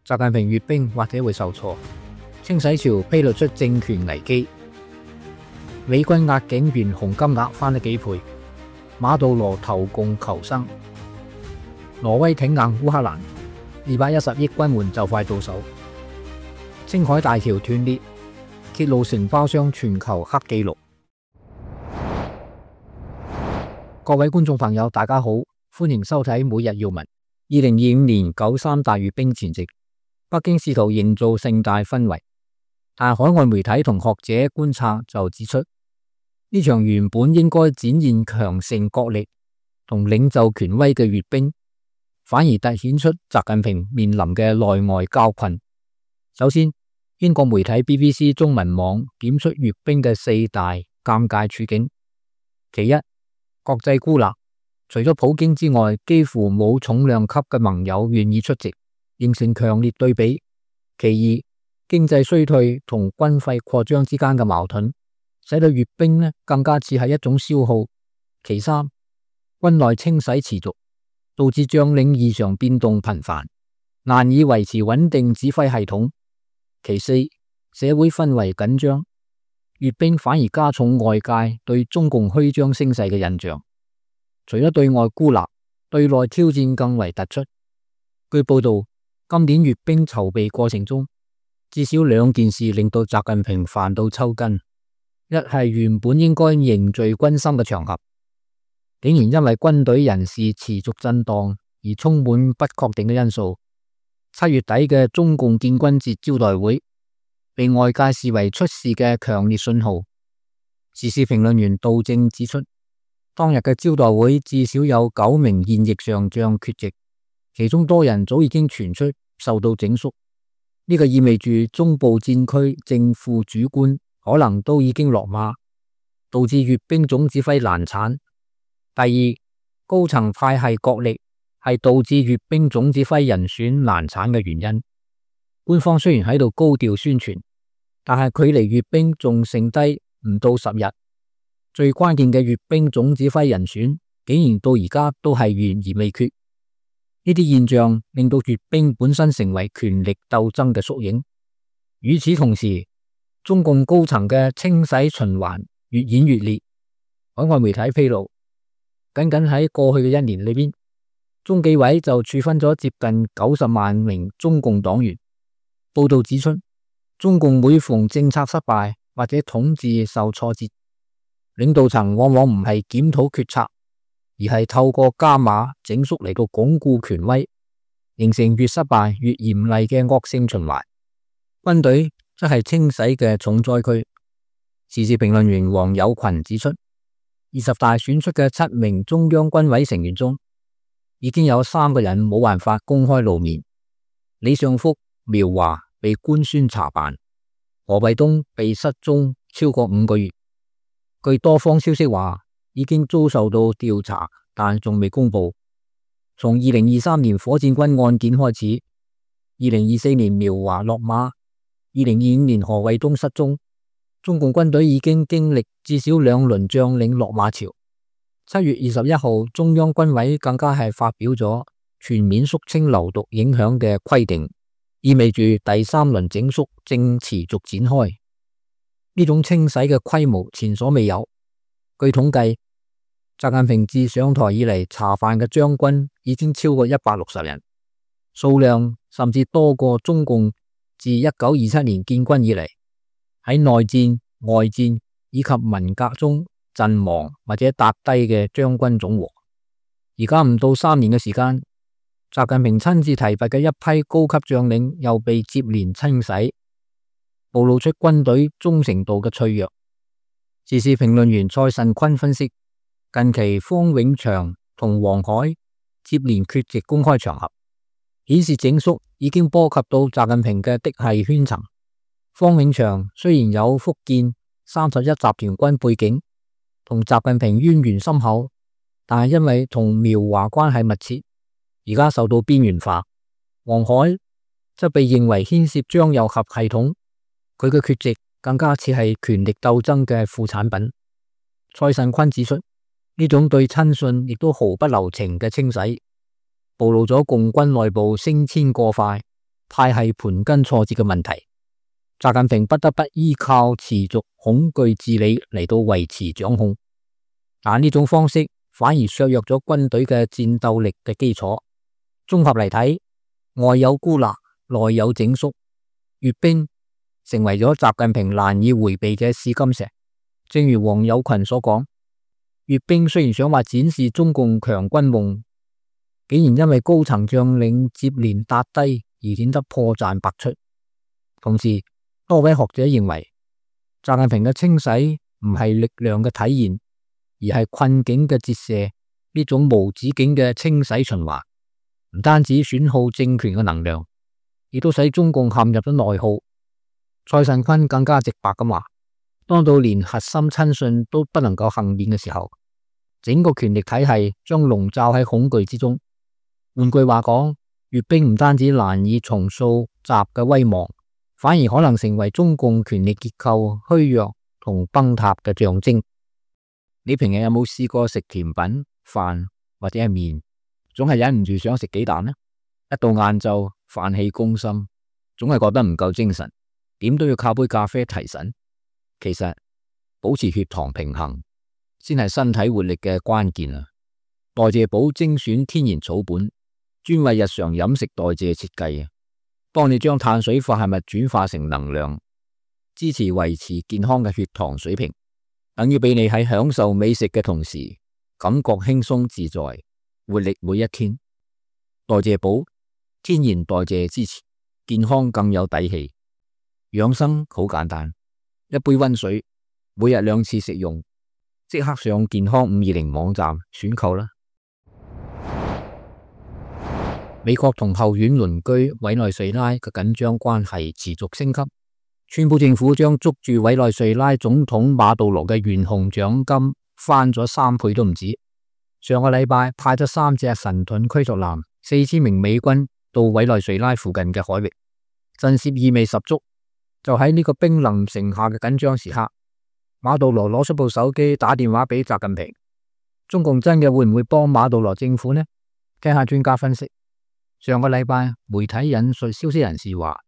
習近平閱兵或者會受挫。清洗潮披露出政權危機，美軍壓境懸紅金額翻咗幾倍，馬杜羅投共求生，挪威挺硬烏克蘭，210億軍援就快到手。青海大橋斷裂，揭露承包商全球黑紀錄。各位觀眾朋友，大家好，歡迎收睇每日要聞。2025年9.3大閱兵前夕，北京試圖營造盛大氛圍，但海外媒體同學者觀察就指出，呢場原本應該展現強盛國力同領袖權威嘅閱兵，反而凸顯出習近平面臨嘅內外交困。首先，英國媒體 BBC 中文網點出閱兵嘅4大尷尬處境。其一，國際孤立，除咗普京之外，幾乎冇重量級嘅盟友願意出席，形成強烈對比。其二，經濟衰退同軍費擴張之間嘅矛盾，使到閱兵更加似係一種消耗。其三，軍內清洗持續，導致將領異常變動頻繁，難以維持穩定指揮系統。其四，社會氛圍緊張，閱兵反而加重外界對中共虛張聲勢嘅印象。除咗對外孤立，對內挑戰更為突出。據報道，今年閱兵籌備過程中，至少2件事令到習近平煩到抽筋。一係原本應該凝聚軍心嘅場合，竟然因為軍隊人事持續震盪而充滿不確定嘅因素。7月底嘅中共建軍節招待會，被外界視為出事嘅強烈信號。時事評論員杜正指出，當日嘅招待會至少有9名現役上將缺席，其中多人早已經傳出受到整肅。呢個意味住中部戰區正副主官可能都已經落馬，導致閱兵總指揮難產。第二，高層派系角力係導致閱兵總指揮人選難產嘅原因。官方雖然喺度高調宣傳，但係距離閱兵仲剩低唔到10日，最關鍵嘅閱兵總指揮人選竟然到而家都係懸而未決。呢啲現象令到閱兵本身成為權力鬥爭嘅縮影。與此同時，中共高層嘅清洗循環越演越烈。海外媒體披露，僅喺過去嘅1年裏邊，中紀委就處分咗接近90萬名中共黨員。報道指出，中共每逢政策失敗或者統治受挫折，領導層往往唔係檢討決策，而係透過加碼整肅嚟到鞏固權威，形成越失敗越嚴厲嘅惡性循環。軍隊則係清洗嘅重災區。時事評論員黃友群指出，20大選出嘅7名中央軍委成員中，已經有3個人冇辦法公開露面。李尚福、苗華被官宣查辦，何衛東被失蹤超過5個月。據多方消息話，已經遭受到調查，但仲未公布。從2023年火箭軍案件開始，2024年苗華落馬，2025年何衛東失蹤，中共軍隊已經經歷至少2輪將領落馬潮。7月21號，中央軍委更加係發表咗全面肅清流毒影響嘅規定，意味住第3輪整肅正持續展開。呢種清洗嘅規模前所未有。據統計，習近平自上台以嚟查辦嘅將軍已經超過160人，數量甚至多過中共自1927年建軍以嚟喺內戰、外戰以及文革中陣亡或者踏低嘅將軍總和。而家唔到3年嘅時間，習近平親自提拔嘅一批高級將領又被接連清洗，暴露出軍隊忠誠度嘅脆弱。時事評論員蔡慎坤分析，近期方永祥同王海接連缺席公開場合，顯示整肅已經波及到習近平嘅嫡系圈層。方永祥雖然有福建31集團軍背景，同習近平淵源深厚，但係因為同苗華關係密切，而家受到邊緣化。王海則被認為牽涉張又俠系統，佢嘅缺席更加似係權力鬥爭嘅副產品。蔡慎坤指出，呢種對親信亦都毫不留情嘅清洗，暴露咗共軍內部升遷過快，派系盤根錯節嘅問題，習近平不得不依靠持續恐懼治理嚟到維持掌控。但呢種方式反而削弱咗軍隊嘅戰鬥力嘅基礎。綜合嚟睇，外有孤立，內有整肅，閱兵成為咗習近平難以回避嘅試金石。正如王友群所講，閱兵雖然想話展示中共強軍夢，竟然因為高層將領接連撻低而顯得破綻百出。同時，多位學者認為，習近平嘅清洗唔係力量嘅體現，而係困境嘅折射。呢種無止境嘅清洗循環，唔單止損耗政權嘅能量，亦都使中共陷入咗內耗。蔡慎坤更加直白咁話，當到連核心親信都不能夠幸免嘅時候，整個權力體系將籠罩喺恐懼之中。換句話講，閱兵唔單止難以重塑習嘅威望，反而可能成為中共權力結構虛弱同崩塌嘅象徵。你平日有冇試過食甜品、飯或者係麵，總係忍唔住想食幾啖呢？一到晏晝，飯氣攻心，總係覺得唔夠精神，點都要靠杯咖啡提神。其實保持血糖平衡先係身體活力嘅關鍵啊！代謝寶精選天然草本，專為日常飲食代謝設計，幫你將碳水化合物轉化成能量，支持維持健康嘅血糖水平，等於俾你喺享受美食嘅同時，感覺輕鬆自在，活力每一天。代謝寶天然代謝支持，健康更有底氣。養生好簡單，一杯溫水，每日2次食用，即刻上健康520網站選購啦。美國同後院鄰居委內瑞拉嘅緊張關係持續升級，川普政府將捉住委內瑞拉總統馬杜羅嘅懸紅獎金翻咗3倍都唔止。上個禮拜派咗3隻神盾驅逐艦、4000名美軍到委內瑞拉附近嘅海域，震懾意味十足。就喺呢個兵臨城下嘅緊張時刻，馬杜羅攞出部手機打電話俾習近平。中共真嘅會唔會幫馬杜羅政府呢？聽下專家分析。上個禮拜媒體引述消息人士話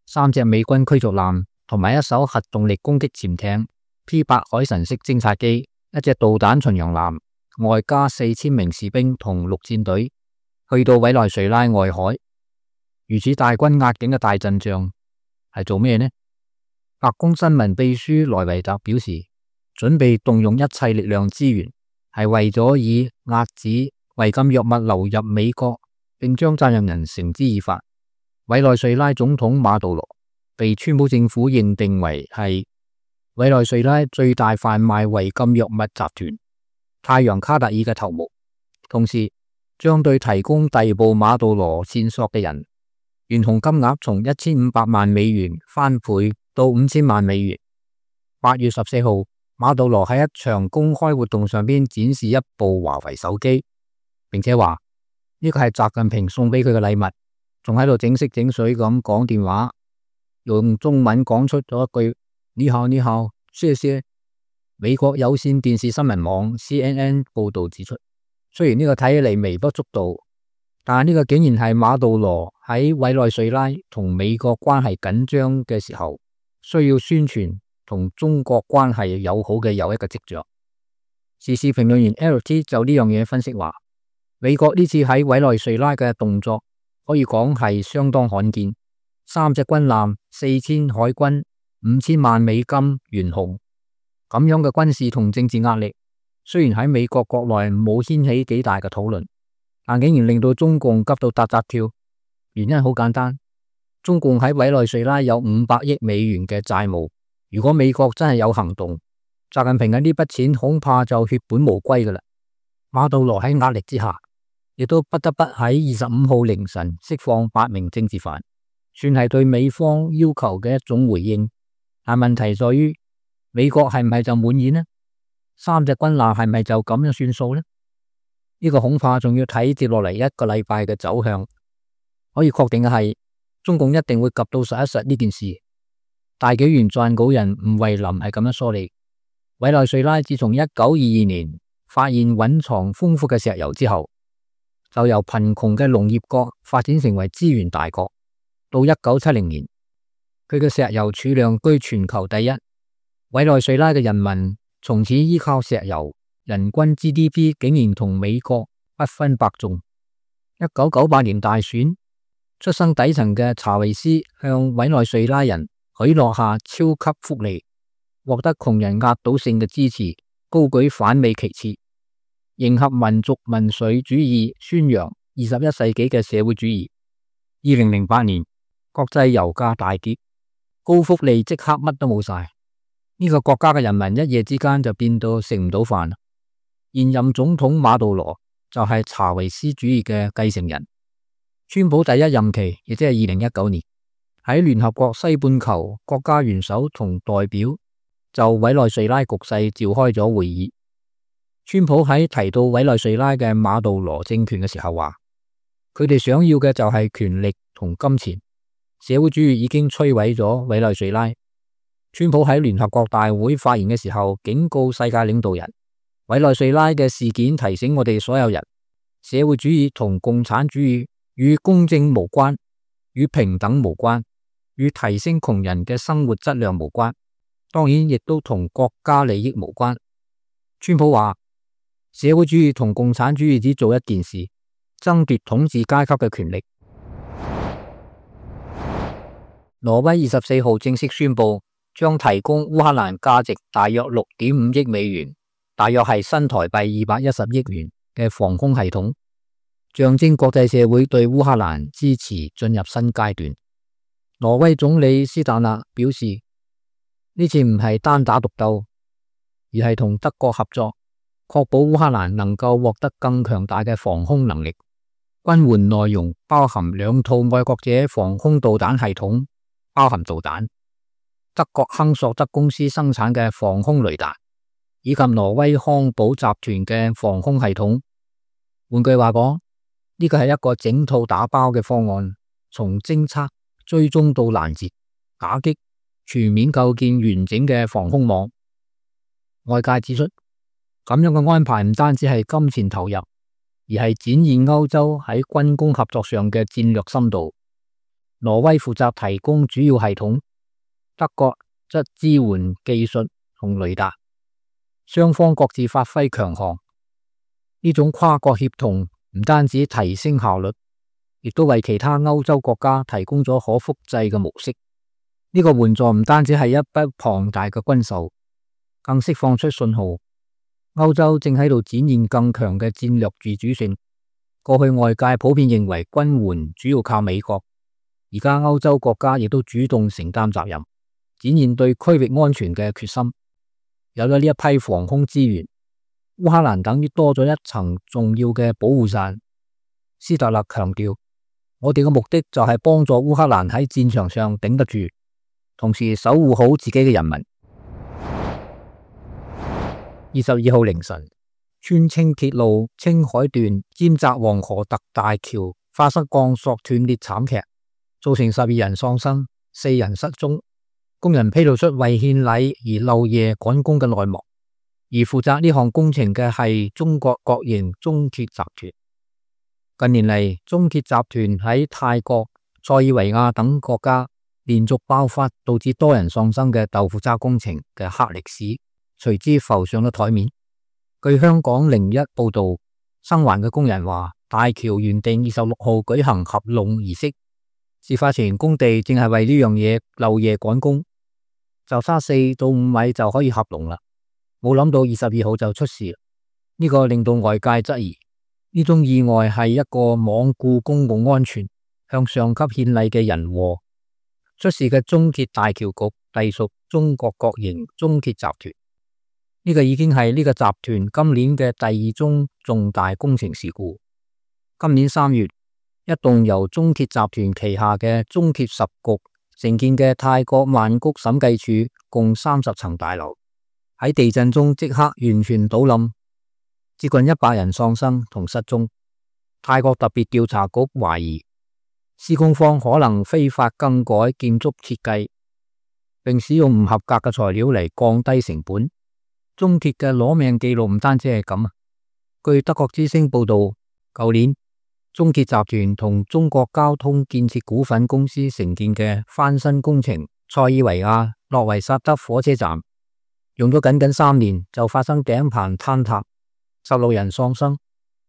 ，3隻美軍驅逐艦同埋1艘核動力攻擊潛艇、P8海神式偵察機、1隻導彈巡洋艦，外加4000名士兵同陸戰隊去到委內瑞拉外海。如此大軍壓境嘅大陣仗係做咩呢？白宮新聞秘書萊維特表示，準備動用一切力量資源，係為咗以遏止違禁藥物流入美國，並將責任人繩之以法。委內瑞拉總統馬杜羅被川普政府認定為係委內瑞拉最大販賣違禁藥物集團太陽卡特爾嘅頭目，同時將對提供逮捕馬杜羅線索嘅人懸紅金額從1500萬美元翻倍到5000萬美元。8月14號，馬杜羅喺一場公開活動上邊展示一部華為手機，並且話呢個係習近平送俾佢嘅禮物，仲喺度整色整水咁講電話，用中文講出咗一句你好你好謝謝。美國有線電視新聞網 CNN 報道指出，雖然呢個睇起嚟微不足道，但係呢個竟然係馬杜羅喺委內瑞拉同美國關係緊張嘅時候需要宣傳同中國關係友好嘅又一個跡象。時事評論員 LT 就呢樣嘢分析話，美國呢次喺委內瑞拉嘅動作可以講係相當罕見，3隻軍艦、4000海軍、5000萬美金懸紅，咁樣嘅軍事同政治壓力，雖然喺美國國內冇掀起幾大嘅討論，但竟然令到中共急到扎扎跳。原因好簡單，中共喺委內瑞拉有500億美元嘅債務，如果美國真係有行動，習近平嘅呢筆錢恐怕就血本無歸噶啦。馬杜羅喺壓力之下，亦都不得不喺25號凌晨釋放8名政治犯，算係對美方要求嘅一種回應。但問題在於，美國係唔係就滿意呢？3隻軍艦係咪就咁樣算數呢？呢個恐怕仲要睇接落嚟1個禮拜嘅走向。可以確定嘅係，中共一定會及到實一實呢件事。大紀元撰稿人吳惠林係咁樣梳理：委內瑞拉自從1922年發現蘊藏豐富嘅石油之後，就由貧窮嘅農業國發展成為資源大國。到1970年，佢嘅石油儲量居全球第一。委內瑞拉嘅人民從此依靠石油，人均 GDP 竟然同美國不分伯仲。1998年大選，出生底層嘅查韋斯向委內瑞拉人許諾下超級福利，獲得窮人壓倒性嘅支持，高舉反美旗幟，迎合民族民粹主義，宣揚21世紀嘅社會主義。2008年，國際油價大跌，高福利即刻乜都冇晒。呢個國家嘅人民一夜之間就變到食唔到飯。現任總統馬杜羅就係查韋斯主義嘅繼承人。川普第一任期，亦即係2019年，喺聯合國西半球國家元首同代表就委內瑞拉局勢召開咗會議。川普喺提到委內瑞拉嘅馬杜羅政權嘅時候話，佢哋想要嘅就係權力同金錢，社會主義已經摧毀咗委內瑞拉。川普喺聯合國大會發言嘅時候警告世界領導人，委內瑞拉嘅事件提醒我哋所有人，社會主義同共產主義與公正無關，與平等無關，與提升窮人嘅生活質量無關，當然亦都同國家利益無關。川普話，社會主義同共產主義只做一件事，爭奪統治階級嘅權力。挪威24號正式宣布，將提供烏克蘭價值大約6.5億美元，大約係新台幣210億元嘅防空系統，象徵國際社會對烏克蘭支持進入新階段。挪威總理斯坦納表示，呢次唔係單打獨鬥，而係同德國合作，確保烏克蘭能夠獲得更強大嘅防空能力。軍援內容包含2套愛國者防空導彈系統，包含導彈，德國亨索德公司生產嘅防空雷達，以及挪威康寶集團嘅防空系統。換句話講，呢個係一個整套打包嘅方案，從偵測、追蹤到攔截、打擊，全面構建完整嘅防空網。外界指出，咁樣嘅安排唔單止係金錢投入，而係展現歐洲喺軍工合作上嘅戰略深度。挪威負責提供主要系統，德國則支援技術同雷達，雙方各自發揮強項。呢種跨國協同唔單止提升效率，亦都為其他歐洲國家提供咗可複製嘅模式。呢個援助唔單止係一筆龐大嘅軍售，更釋放出信號，歐洲正喺度展現更強嘅戰略自主性。過去外界普遍認為軍援主要靠美國，而家歐洲國家亦都主動承擔責任，展現對區域安全嘅決心。有咗呢一批防空資源，烏克蘭等於多咗一層重要嘅保護傘。斯特勒強調，我哋嘅目的就係幫助烏克蘭喺戰場上頂得住，同時守護好自己嘅人民。22號凌晨，川青鐵路青海段尖澤黃河特大橋發生鋼索斷裂慘劇，造成12人喪生，4人失蹤。工人披露出為獻禮而漏夜趕工嘅內幕，而負責呢項工程嘅係中國國營中鐵集團。近年嚟，中鐵集團喺泰國、塞爾維亞等國家連續爆發導致多人喪生嘅豆腐渣工程嘅黑歷史，隨之浮上咗台面。據香港01報道，生還嘅工人話，大橋原定26號舉行合攏儀式，事發前工地正係為呢樣嘢漏夜趕工，就差4到5米就可以合攏啦。冇諗到22號就出事，呢個令到外界質疑呢種意外係一個罔顧公共安全、向上級獻禮嘅人禍。出事嘅中鐵大橋局隸屬中國國營中鐵集團，呢個已經係呢個集團今年嘅第2宗重大工程事故。今年3月，一棟由中鐵集團旗下嘅中鐵10局承建嘅泰國曼谷審計處共30層大樓，喺地震中即刻完全倒冧，接近100人喪生同失蹤。泰國特別調查局懷疑施工方可能非法更改建築設計，並使用唔合格嘅材料嚟降低成本。中鐵嘅攞命記錄唔單止係咁啊！據德國之聲報道，舊年中鐵集團同中國交通建設股份公司承建嘅翻新工程塞爾維亞諾維薩德火車站，用咗僅僅3年就發生頂棚坍塌，16人喪生，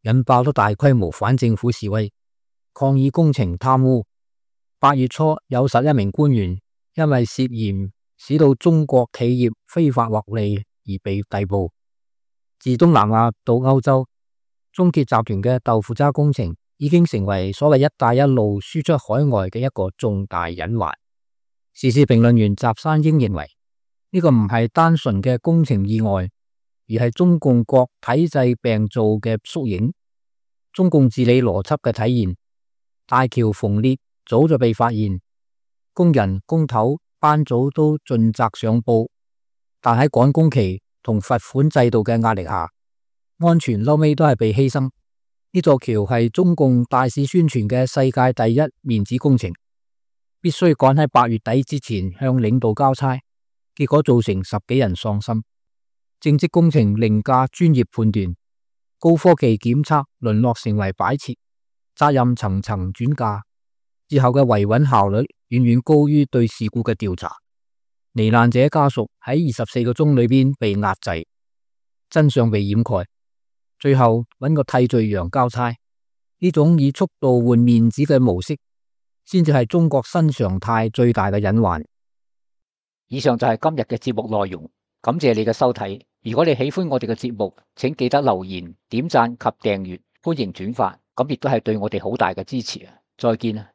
引爆咗大規模反政府示威，抗議工程貪污。8月初有11名官員因為涉嫌使到中國企業非法獲利而被逮捕。自東南亞到歐洲，中鐵集團嘅豆腐渣工程已經成為所謂一帶一路輸出海外嘅一個重大隱患。時事評論員翟山英認為，呢個唔係單純嘅工程意外，而係中共國體制病灶嘅縮影，中共治理邏輯嘅體現。大橋縫裂早就被發現，工人工頭班組都盡責上報，但喺趕工期同罰款制度嘅壓力下，安全後尾都係被犧牲。呢座橋係中共大肆宣傳嘅世界第一面子工程，必須趕喺8月底之前向領導交差，結果造成10幾人喪生。正職工程凌駕專業判斷，高科技檢測淪落成為擺設，責任層層轉嫁，之後嘅維穩效率遠遠高於對事故嘅調查。罹難者家屬喺24個鐘裏邊被壓制，真相被掩蓋，最後揾個替罪羊交差。呢種以速度換面子嘅模式，先至係中國新常態最大嘅隱患。以上就係今日嘅節目內容，感謝你嘅收睇。如果你喜歡我哋嘅節目，請記得留言、點讚及訂閱，歡迎轉發，咁亦都係對我哋好大嘅支持啊！再見啊！